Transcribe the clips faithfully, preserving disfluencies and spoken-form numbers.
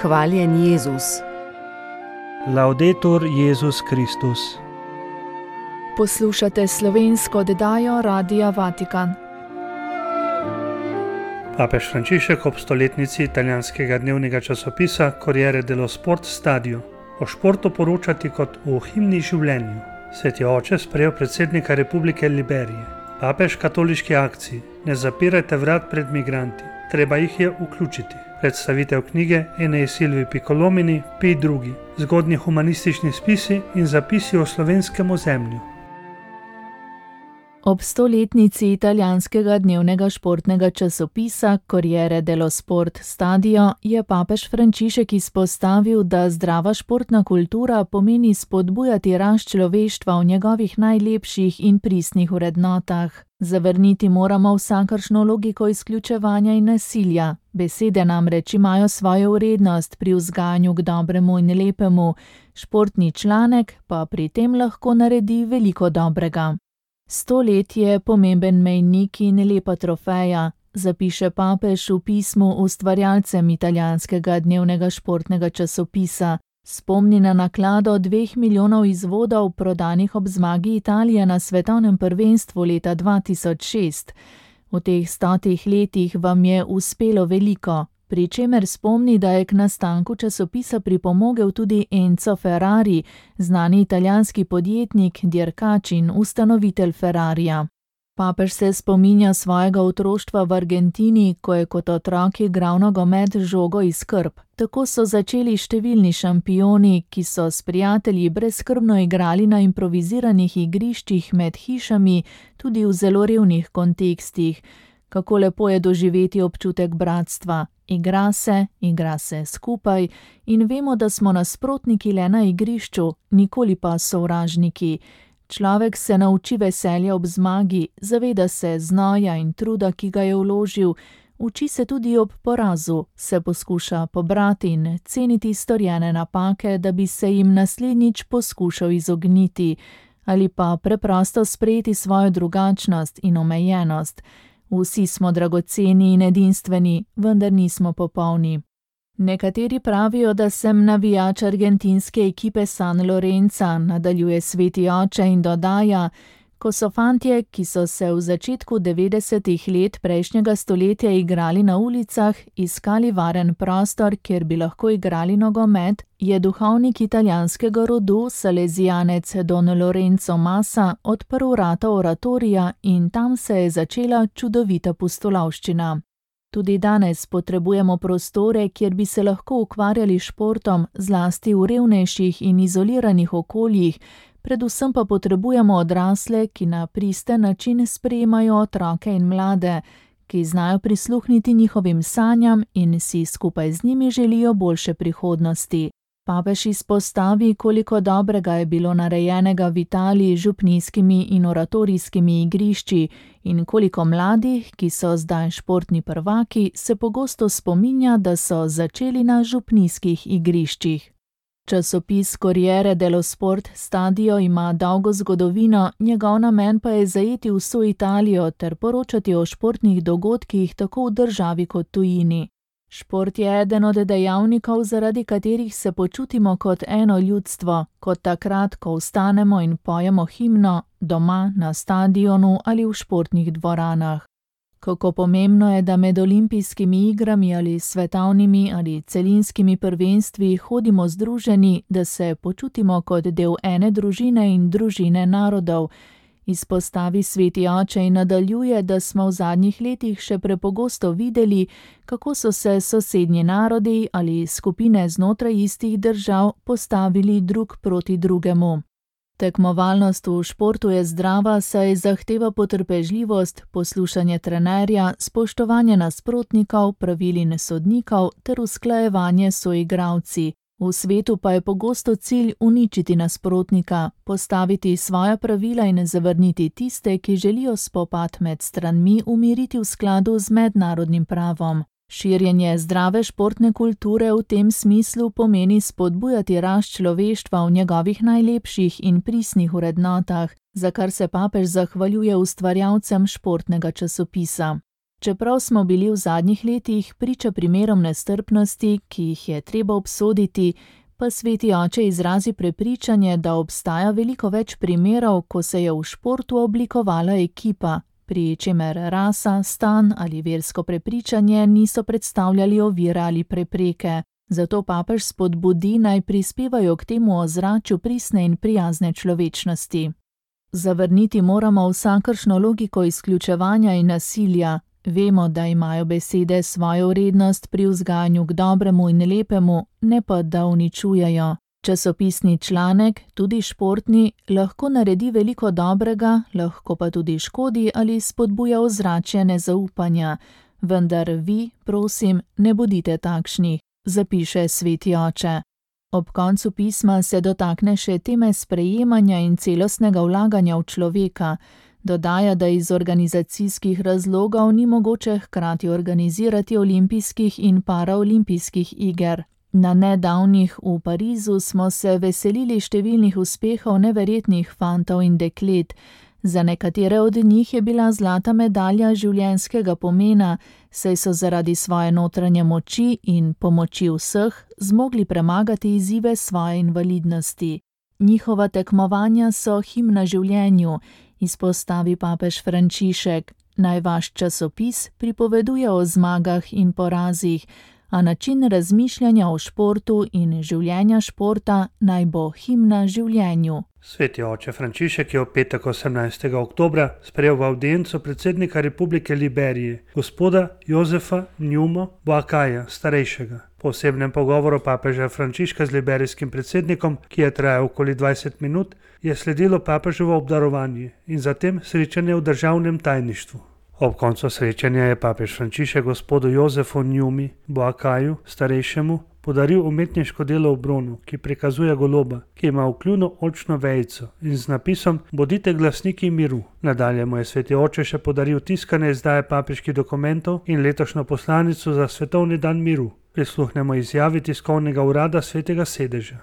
Hvaljen Jezus. Laudetur Jezus Kristus. Poslušate slovensko oddajo Radia Vatikan. Papež Frančišek ob stoletnici italijanskega dnevnega časopisa Corriere dello Sport Stadio o športu poročati kot o himni življenju. Sveti oče sprejel predsednika Republike Liberije. Papež katoliški akciji: ne zapirajte vrat pred migranti, treba jih je vključiti. Predstavitev knjige Enei Silvii Piccolomini, Pij drugi, zgodnji humanistični spisi in zapisi o slovenskem ozemlju. Ob stoletnici italijanskega dnevnega športnega časopisa Corriere dello Sport Stadio je papež Frančišek izpostavil, da zdrava športna kultura pomeni spodbujati rast človeštva v njegovih najlepših in pristnih vrednotah. Zavrniti moramo vsakršno logiko izključevanja in nasilja. Besede namreč imajo svojo vrednost pri vzgajanju k dobremu in lepemu, športni članek pa pri tem lahko naredi veliko dobrega. Sto let je pomemben mejnik in lepa trofeja, zapiše papež v pismu ustvarjalcem italijanskega dnevnega športnega časopisa. Spomni na naklado dveh milijonov izvodov prodanih ob zmagi Italije na svetovnem prvenstvu leta dva tisoč šest. V teh stotih letih vam je uspelo veliko, pri čemer spomni, da je k nastanku časopisa pripomogel tudi Enzo Ferrari, znani italijanski podjetnik, dirkač in ustanovitelj Ferrarija. Papež se spominja svojega otroštva v Argentini, ko je kot otrok igral nogomet z žogo iz krp. Tako so začeli številni šampioni, ki so s prijatelji brezskrbno igrali na improviziranih igriščih med hišami, tudi v zelo revnih kontekstih. Kako lepo je doživeti občutek bratstva. Igra se, igra se skupaj in vemo, da smo nasprotniki le na igrišču, nikoli pa sovražniki. Človek se nauči veselja ob zmagi, zaveda se znoja in truda, ki ga je vložil, uči se tudi ob porazu, se poskuša pobrati in ceniti storjene napake, da bi se jim naslednjič poskušal izogniti, ali pa preprosto sprejeti svojo drugačnost in omejenost. Vsi smo dragoceni in edinstveni, vendar nismo popolni. Nekateri pravijo, da sem navijač argentinske ekipe San Lorenza, nadaljuje sveti oče in dodaja: ko so fantje, ki so se v začetku devetdesetih let prejšnjega stoletja igrali na ulicah, iskali varen prostor, kjer bi lahko igrali nogomet, je duhovnik italijanskega rodu, salezijanec Don Lorenzo Massa, odprl vrata oratorija in tam se je začela čudovita pustolovščina. Tudi danes potrebujemo prostore, kjer bi se lahko ukvarjali športom, zlasti v revnejših in izoliranih okoljih, predvsem pa potrebujemo odrasle, ki na pristen način sprejemajo otroke in mlade, ki znajo prisluhniti njihovim sanjam in si skupaj z njimi želijo boljše prihodnosti. Papež izpostavi, koliko dobrega je bilo narejenega v Italiji z župnijskimi in oratorijskimi igrišči in koliko mladih, ki so zdaj športni prvaki, se pogosto spominja, da so začeli na župnijskih igriščih. Časopis Corriere dello Sport Stadio ima dolgo zgodovino, njegov namen pa je zajeti vso Italijo ter poročati o športnih dogodkih tako v državi kot tujini. Šport je eden od dejavnikov, zaradi katerih se počutimo kot eno ljudstvo, kot takrat, ko vstanemo in pojemo himno, doma, na stadionu ali v športnih dvoranah. Kako pomembno je, da med olimpijskimi igrami ali svetovnimi ali celinskimi prvenstvi hodimo združeni, da se počutimo kot del ene družine in družine narodov. Izpostavi sveti oče in nadaljuje, da smo v zadnjih letih še prepogosto videli, kako so se sosednji narodi ali skupine znotraj istih držav postavili drug proti drugemu. Tekmovalnost v športu je zdrava, saj zahteva potrpežljivost, poslušanje trenerja, spoštovanje nasprotnikov, pravil in sodnikov ter usklajevanje s soigralci. V svetu pa je pogosto cilj uničiti nasprotnika, postaviti svoja pravila in zavrniti tiste, ki želijo spopad med stranmi umiriti v skladu z mednarodnim pravom. Širjenje zdrave športne kulture v tem smislu pomeni spodbujati rast človeštva v njegovih najlepših in pristnih vrednotah, za kar se papež zahvaljuje ustvarjalcem športnega časopisa. Čeprav smo bili v zadnjih letih priča primerom nestrpnosti, ki jih je treba obsoditi, pa sveti oče izrazi prepričanje, da obstaja veliko več primerov, ko se je v športu oblikovala ekipa, pri čemer rasa, stan ali versko prepričanje niso predstavljali ovire ali prepreke. Zato papež spodbudi, naj prispevajo k temu ozračju pristne in prijazne človečnosti. Zavrniti moramo vsakršno logiko izključevanja in nasilja. Vemo, da imajo besede svojo vrednost pri vzgajanju k dobremu in lepemu, ne pa da uničujejo. Časopisni članek, tudi športni, lahko naredi veliko dobrega, lahko pa tudi škodi ali spodbuja ozračje nezaupanja. Vendar vi, prosim, ne bodite takšni, zapiše sveti oče. Ob koncu pisma se dotakne še teme sprejemanja in celostnega vlaganja v človeka. Dodaja, da iz organizacijskih razlogov ni mogoče hkrati organizirati olimpijskih in paraolimpijskih iger. Na nedavnih v Parizu smo se veselili številnih uspehov neverjetnih fantov in deklet. Za nekatere od njih je bila zlata medalja življenjskega pomena, saj so zaradi svoje notranje moči in pomoči vseh zmogli premagati izzive svoje invalidnosti. Njihova tekmovanja so himna življenju, izpostavi papež Frančišek. Naj vaš časopis pripoveduje o zmagah in porazih, a način razmišljanja o športu in življenja športa naj bo himna življenju. Sveti oče Frančišek je v petek osemnajstega oktobra sprejel v avdienco predsednika Republike Liberije, gospoda Josefa Njumo Boakaja, starejšega. Po osebnem pogovoru papeža Frančiška z liberijskim predsednikom, ki je trajal okoli dvajset minut, je sledilo papeževo obdarovanje in zatem srečanje v državnem tajništvu. Ob koncu srečanja je papež Frančišek gospodu Josefu Njumi Boakaju, starejšemu, podaril umetniško delo v bronu, ki prikazuje goloba, ki ima vkljunu oljčno vejico in z napisom Bodite glasniki miru. Nadalje mu je sveti oče še podaril tiskane izdaje papeških dokumentov in letošnjo poslanico za svetovni dan miru. Prisluhnemo izjavi tiskovnega urada svetega sedeža.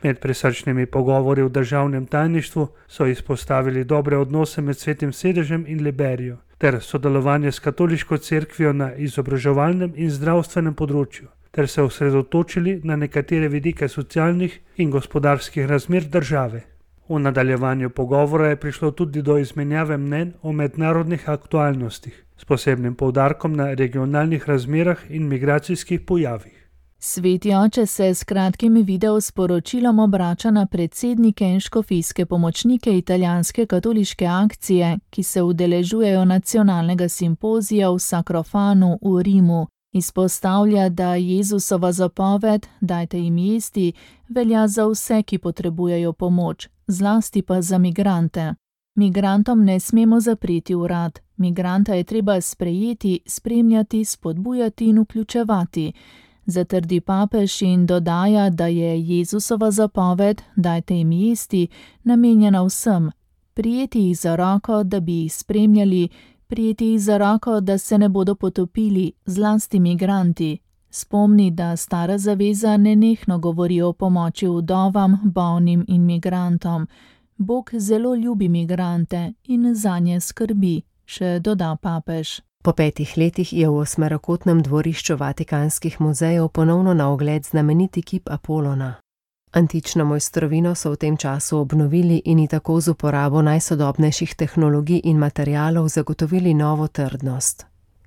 Med prisrčnimi pogovori v državnem tajništvu so izpostavili dobre odnose med svetim sedežem in Liberijo ter sodelovanje s katoliško cerkvijo na izobraževalnem in zdravstvenem področju, ter se osredotočili na nekatere vidike socialnih in gospodarskih razmer države. V nadaljevanju pogovora je prišlo tudi do izmenjave mnenj o mednarodnih aktualnostih, s posebnim poudarkom na regionalnih razmerah in migracijskih pojavih. Sveti oče se s kratkim videosporočilom obrača na predsednike in škofijske pomočnike italijanske katoliške akcije, ki se udeležujejo nacionalnega simpozija v Sacrofanu v Rimu. Izpostavlja, da Jezusova zapoved, dajte jim jesti, velja za vse, ki potrebujejo pomoč, zlasti pa za migrante. Migrantom ne smemo zapreti vrat, migranta je treba sprejeti, spremljati, spodbujati in vključevati. Zatrdi papež in dodaja, da je Jezusova zapoved, dajte jim jesti, namenjena vsem, prijeti jih za roko, da bi jih spremljali, prijeti jih za roko, da se ne bodo potopili, zlasti migranti. Spomni, da stara zaveza nenehno govori o pomoči vdovam, bolnim in migrantom. Bog zelo ljubi migrante in zanje skrbi, še doda papež. Po petih letih je v osmerokotnem dvorišču Vatikanskih muzejev ponovno na ogled znameniti kip Apolona. Antično mojstrovino so v tem času obnovili in ji tako z uporabo najsodobnejših tehnologij in materialov zagotovili novo trdnost.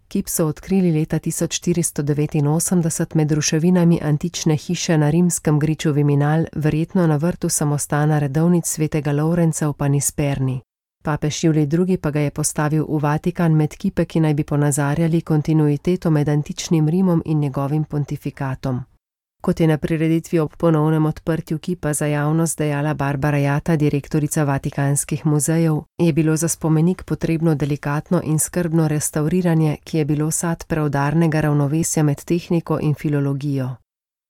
Kip so odkrili leta tisoč štiristo devetinosemdeset med ruševinami antične hiše na rimskem griču Viminal, verjetno na vrtu samostana redovnic svetega Lovrenca v Panisperni. Papež Julij drugi pa ga je postavil v Vatikan med kipe, ki naj bi ponazarjali kontinuiteto med antičnim Rimom in njegovim pontifikatom. Kot je na prireditvi ob ponovnem odprtju kipa za javnost dejala Barbara Jata, direktorica Vatikanskih muzejev, je bilo za spomenik potrebno delikatno in skrbno restavriranje, ki je bilo sad preudarnega ravnovesja med tehniko in filologijo.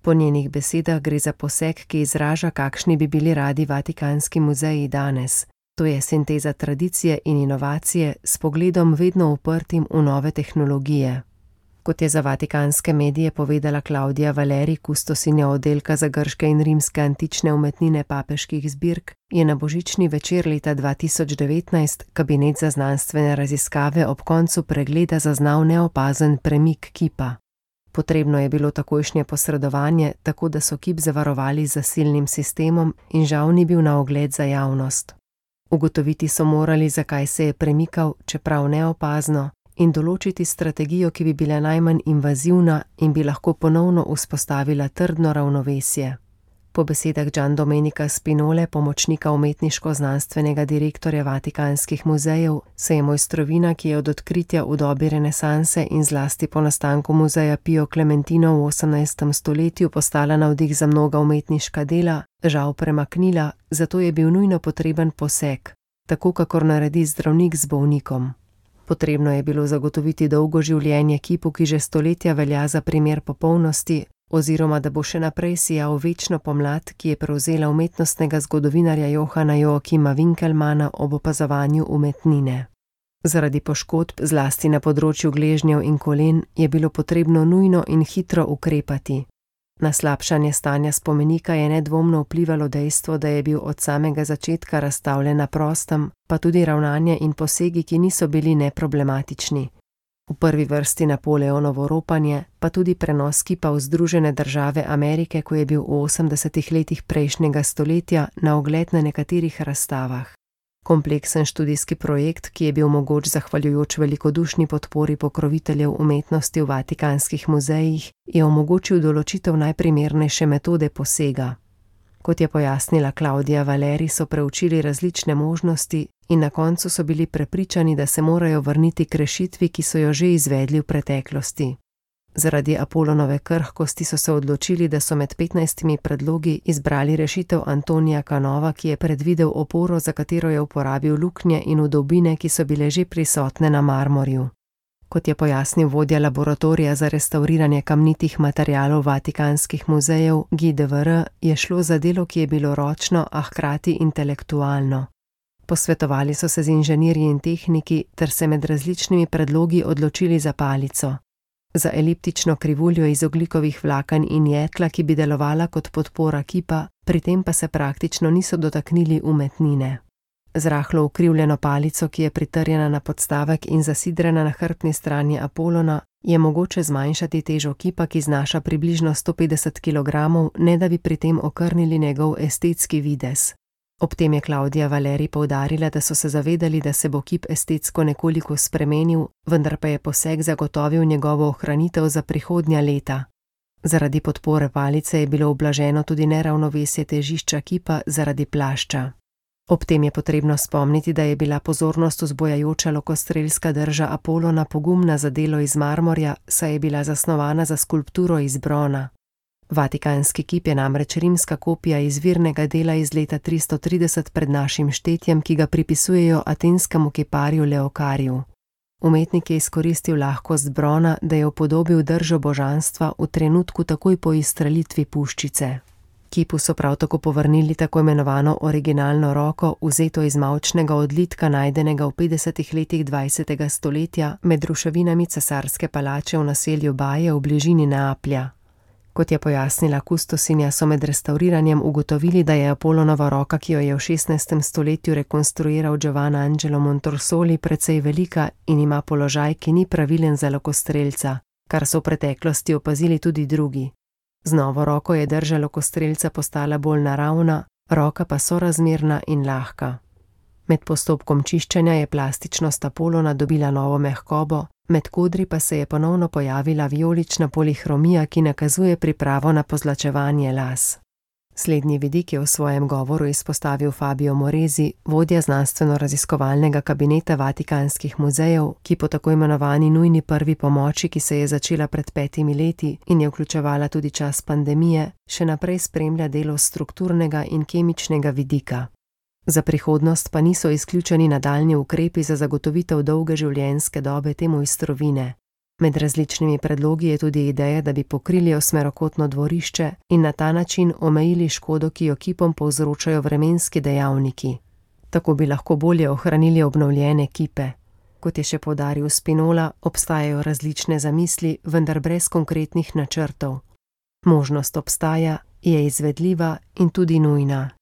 Po njenih besedah gre za poseg, ki izraža, kakšni bi bili radi Vatikanski muzeji danes. To je sinteza tradicije in inovacije s pogledom vedno uprtim v nove tehnologije. Kot je za vatikanske medije povedala Claudia Valeri, kustosinja oddelka za grške in rimske antične umetnine papeških zbirk, je na božični večer leta dva tisoč devetnajst kabinet za znanstvene raziskave ob koncu pregleda zaznal neopazen premik kipa. Potrebno je bilo takojšnje posredovanje, tako da so kip zavarovali z zasilnim sistemom in žal ni bil na ogled za javnost. Ugotoviti so morali, zakaj se je premikal, čeprav neopazno, in določiti strategijo, ki bi bila najmanj invazivna in bi lahko ponovno vzpostavila trdno ravnovesje. Po besedah Gian Domenica Spinole, pomočnika umetniško-znanstvenega direktorja Vatikanskih muzejev, se je mojstrovina, ki je od odkritja v dobi renesanse in zlasti po nastanku muzeja Pio Clementino v osemnajstem stoletju postala navdih za mnoga umetniška dela, žal premaknila, zato je bil nujno potreben poseg, tako kakor naredi zdravnik z bolnikom. Potrebno je bilo zagotoviti dolgo življenje kipu, ki že stoletja velja za primer popolnosti, oziroma da bo še naprej sijal večno pomlad, ki je prevzela umetnostnega zgodovinarja Johana Joakima Winkelmana ob opazovanju umetnine. Zaradi poškodb, zlasti na področju gležnjev in kolen, je bilo potrebno nujno in hitro ukrepati. Na slabšanje stanja spomenika je nedvomno vplivalo dejstvo, da je bil od samega začetka razstavljen na prostem, pa tudi ravnanje in posegi, ki niso bili neproblematični. V prvi vrsti Napoleonovo ropanje, pa tudi prenos kipa v Združene države Amerike, ko je bil v osemdesetih letih prejšnjega stoletja na ogled na nekaterih razstavah. Kompleksen študijski projekt, ki je bil mogoč zahvaljujoč velikodušni podpori pokroviteljev umetnosti v vatikanskih muzejih, je omogočil določitev najprimernejše metode posega. Kot je pojasnila Claudia Valeri, so preučili različne možnosti in na koncu so bili prepričani, da se morajo vrniti k rešitvi, ki so jo že izvedli v preteklosti. Zaradi Apolonove krhkosti so se odločili, da so med petnajstimi predlogi izbrali rešitev Antonija Canova, ki je predvidel oporo, za katero je uporabil luknje in vdolbine, ki so bile že prisotne na marmorju. Kot je pojasnil vodja laboratorija za restavriranje kamnitih materialov vatikanskih muzejev Guy Devere, je šlo za delo, ki je bilo ročno, a hkrati intelektualno. Posvetovali so se z inženirji in tehniki ter se med različnimi predlogi odločili za palico. Za eliptično krivuljo iz ogljikovih vlaken in jekla, ki bi delovala kot podpora kipa, pri tem pa se praktično niso dotaknili umetnine. Z rahlo ukrivljeno palico, ki je pritrjena na podstavek in zasidrana na hrbtni strani Apolona, je mogoče zmanjšati težo kipa, ki znaša približno sto petdeset kilogramov, ne da bi pri tem okrnili njegov estetski videz. Ob tem je Claudia Valeri poudarila, da so se zavedali, da se bo kip estetsko nekoliko spremenil, vendar pa je poseg zagotovil njegovo ohranitev za prihodnja leta. Zaradi podpore palice je bilo ublaženo tudi neravnovesje težišča kipa zaradi plašča. Ob tem je potrebno spomniti, da je bila pozornost vzbojajoča lokostrelska drža Apolona pogumna za delo iz marmorja, saj je bila zasnovana za skulpturo iz brona. Vatikanski kip je namreč rimska kopija izvirnega dela iz leta tristo trideset pred našim štetjem, ki ga pripisujejo atenskemu kiparju Leokariju. Umetnik je izkoristil lahkost brona, da je upodobil držo božanstva v trenutku takoj po izstrelitvi puščice. Kipu so prav tako povrnili tako imenovano originalno roko, vzeto iz mavčnega odlitka, najdenega v petdesetih letih dvajsetega stoletja med ruševinami cesarske palače v naselju Baje v bližini Neaplja. Kot je pojasnila kustosinja, so med restauriranjem ugotovili, da je Apolonova roka, ki jo je v šestnajstem stoletju rekonstruiral Giovanni Angelo Montorsoli, precej velika in ima položaj, ki ni pravilen za lokostrelca, kar so v preteklosti opazili tudi drugi. Z novo roko je drža lokostrelca postala bolj naravna, roka pa sorazmerna in lahka. Med postopkom čiščenja je plastičnost Apolona dobila novo mehkobo, med kodri pa se je ponovno pojavila vijolična polihromija, ki nakazuje pripravo na pozlačevanje las. Slednji vidik je v svojem govoru izpostavil Fabio Moresi, vodja znanstveno-raziskovalnega kabineta Vatikanskih muzejev, ki po tako imenovani nujni prvi pomoči, ki se je začela pred petimi leti in je vključevala tudi čas pandemije, še naprej spremlja delo strukturnega in kemičnega vidika. Za prihodnost pa niso izključeni nadaljnji ukrepi za zagotovitev dolge življenjske dobe te mojstrovine. Med različnimi predlogi je tudi ideja, da bi pokrili osmerokotno dvorišče in na ta način omejili škodo, ki jo kipom povzročajo vremenski dejavniki. Tako bi lahko bolje ohranili obnovljene kipe. Kot je še poudaril Spinola, obstajajo različne zamisli, vendar brez konkretnih načrtov. Možnost obstaja, je izvedljiva in tudi nujna.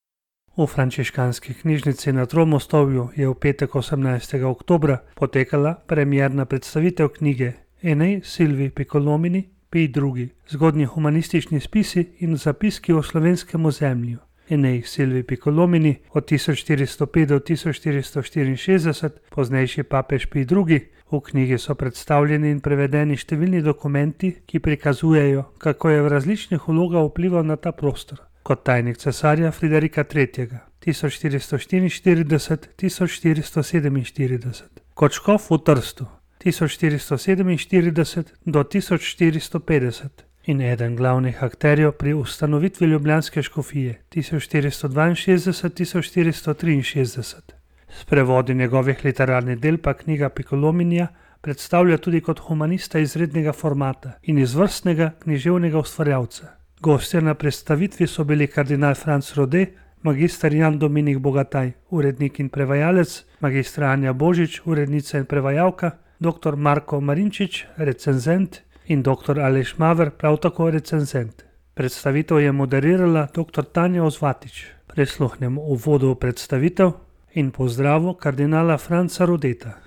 V frančiškanski knjižnici na Tromostovju je v petek osemnajstega oktobra potekala premierna predstavitev knjige Enej Silvii Piccolomini, Pij drugi, zgodnji humanistični spisi in zapiski o slovenskem ozemlju. Enej Silvii Piccolomini od tisoč štiristo pet do tisoč štiristo štiriinšestdeset, poznejši papež Pij drugi. V knjigi so predstavljeni in prevedeni številni dokumenti, ki prikazujejo, kako je v različnih vlogah vplival na ta prostor. Kot tajnik cesarja Friderika tretjega, tisoč štiristo štiriinštirideset do tisoč štiristo sedeminštirideset. Kot škof v Trstu, tisoč štiristo sedeminštirideset do tisoč štiristo petdeset. In eden glavnih akterjev pri ustanovitvi ljubljanske škofije, tisoč štiristo dvainšestdeset do tisoč štiristo triinšestdeset. S prevodi njegovih literarnih del pa knjiga Piccolominija predstavlja tudi kot humanista izrednega formata in izvrstnega književnega ustvarjalca. Gostje na predstavitvi so bili kardinal Franc Rode, magister Jan Dominik Bogataj, urednik in prevajalec, magistra Anja Božič, urednica in prevajalka, doktor Marko Marinčič, recenzent in doktor Aleš Maver, prav tako recenzent. Predstavitev je moderirala doktor Tanja Ozvatič. Prisluhnemo uvodu v predstavitev in pozdravu kardinala Franca Rodeta.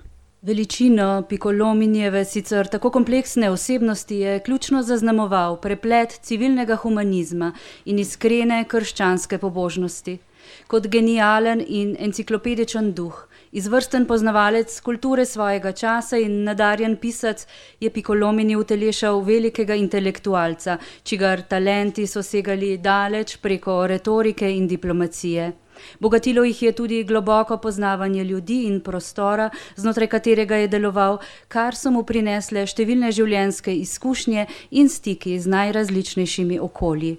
Veličino Piccolominijeve sicer tako kompleksne osebnosti je ključno zaznamoval preplet civilnega humanizma in iskrene krščanske pobožnosti. Kot genijalen in enciklopedičen duh, izvrsten poznavalec kulture svojega časa in nadarjen pisac, je Piccolomini utelešal velikega intelektualca, čigar talenti so segali daleč preko retorike in diplomacije. Bogatilo jih je tudi globoko poznavanje ljudi in prostora, znotraj katerega je deloval, kar so mu prinesle številne življenjske izkušnje in stiki z najrazličnejšimi okolji.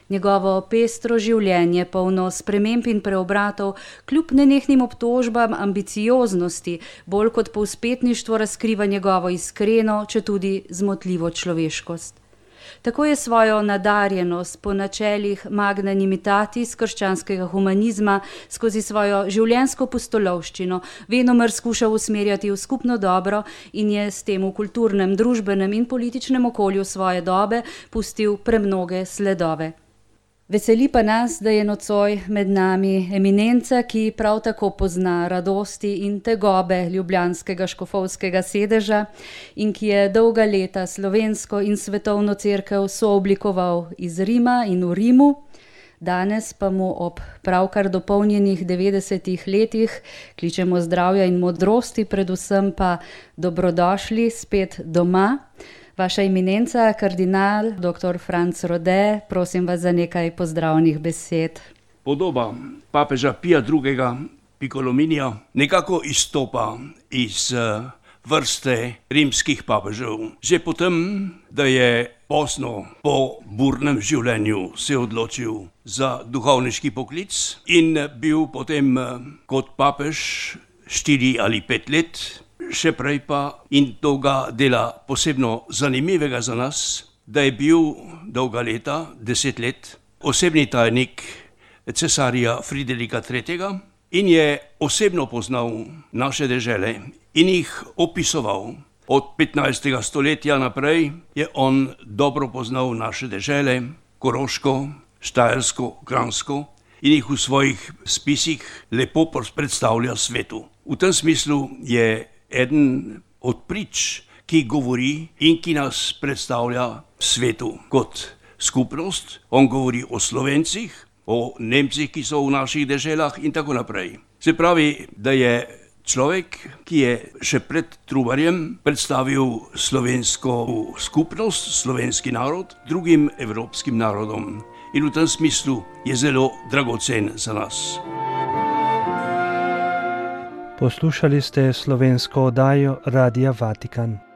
Njegovo pestro življenje, polno sprememb in preobratov, kljub nenehnim obtožbam ambicioznosti, bolj kot povzpetništvo razkriva njegovo iskreno, četudi zmotljivo človeškost. Tako je svojo nadarjenost po načelih magnanimitatis krščanskega humanizma skozi svojo življenjsko pustolovščino venomer skušal usmerjati v skupno dobro in je s tem v kulturnem, družbenem in političnem okolju svoje dobe pustil premnoge sledove. Veseli pa nas, da je nocoj med nami eminenca, ki prav tako pozna radosti in tegobe ljubljanskega škofovskega sedeža in ki je dolga leta slovensko in svetovno cerkev sooblikoval iz Rima in v Rimu. Danes pa mu ob pravkar dopolnjenih devetdesetih letih kličemo zdravja in modrosti, predvsem pa dobrodošli spet doma. Vaša eminenca, kardinal, doktor Franc Rode, prosim vas za nekaj pozdravnih besed. Podoba papeža Pija drugega. Piccolominija nekako izstopa iz vrste rimskih papežev. Že potem, da je pozno po burnem življenju se odločil za duhovniški poklic in bil potem kot papež štiri ali pet let. Še prej pa, in to ga dela posebno zanimivega za nas, da je bil dolga leta, deset let, osebni tajnik cesarja Friderika tretjega in je osebno poznal naše dežele in jih opisoval. Od petnajstega stoletja naprej je on dobro poznal naše dežele, Koroško, Štajersko, Kranjsko, in jih v svojih spisih lepo predstavlja svetu. V tem smislu je eden od prič, ki govori in ki nas predstavlja svetu kot skupnost. On govori o Slovencih, o Nemcih, ki so v naših deželah in tako naprej. Se pravi, da je človek, ki je še pred Trubarjem predstavil slovensko skupnost, slovenski narod, drugim evropskim narodom. In v tem smislu je zelo dragocen za nas. Poslušali ste slovensko oddajo Radia Vatikan.